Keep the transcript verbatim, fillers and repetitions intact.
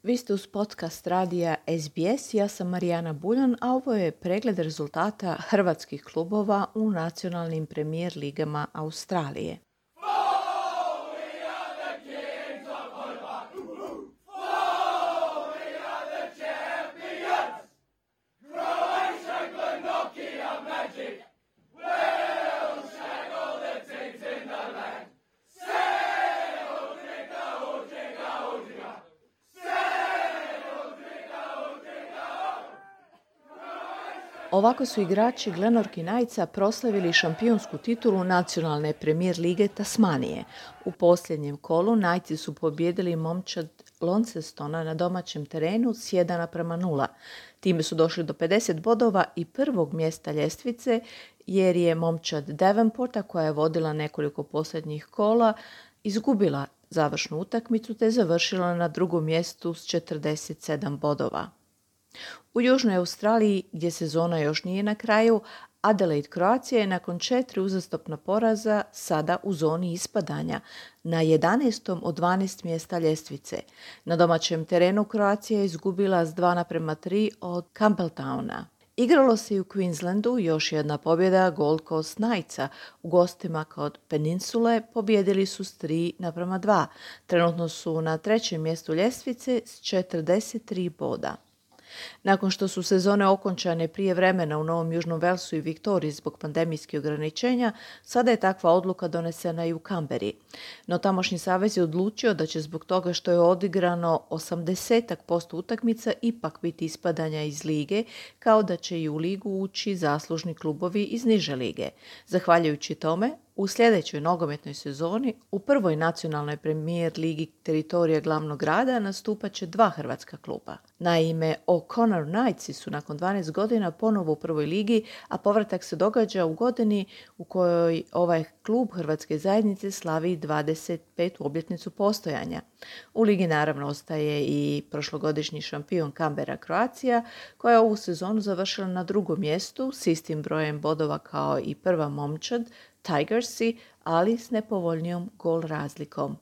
Vi ste uz podcast radija S B S, ja sam Marijana Buljan, a ovo je pregled rezultata hrvatskih klubova u nacionalnim premijer ligama Australije. Ovako su igrači Glenorchy Knightsa proslavili šampionsku titulu nacionalne premijer lige Tasmanije. U posljednjem kolu Knightsi su pobijedili momčad Launcestona na domaćem terenu s jedan naprema nula. Time su došli do pedeset bodova i prvog mjesta ljestvice, jer je momčad Devonporta, koja je vodila nekoliko posljednjih kola, izgubila završnu utakmicu te završila na drugom mjestu s četrdeset sedam bodova. U Južnoj Australiji, gdje sezona još nije na kraju, Adelaide Croatia je nakon četiri uzastopna poraza sada u zoni ispadanja, na jedanaestom od dvanaest mjesta ljestvice. Na domaćem terenu Croatia je izgubila s dva naprema tri od Campbelltowna. Igralo se i u Queenslandu još jedna pobjeda Gold Coast Knightsa. U gostima kod Peninsule pobjedili su s tri naprema dva. Trenutno su na trećem mjestu ljestvice s četrdeset tri boda. Nakon što su sezone okončane prije vremena u Novom Južnom Velsu i Viktoriji zbog pandemijskih ograničenja, sada je takva odluka donesena i u Canberri. No tamošnji savez je odlučio da će zbog toga što je odigrano osamdeset posto utakmica ipak biti ispadanja iz lige, kao da će i u ligu ući zaslužni klubovi iz niže lige. Zahvaljujući tome, u sljedećoj nogometnoj sezoni u prvoj nacionalnoj premijer ligi teritorija glavnog grada nastupat će dva hrvatska kluba. Naime, O'Connor Knightsi su nakon dvanaest godina ponovo u prvoj ligi, a povratak se događa u godini u kojoj ovaj klub hrvatske zajednice slavi dvadeset petu obljetnicu postojanja. U ligi naravno ostaje i prošlogodišnji šampion Canberra Croatia, koja je ovu sezonu završila na drugom mjestu s istim brojem bodova kao i prva momčad Tigersi, ali s nepovoljnijom gol razlikom.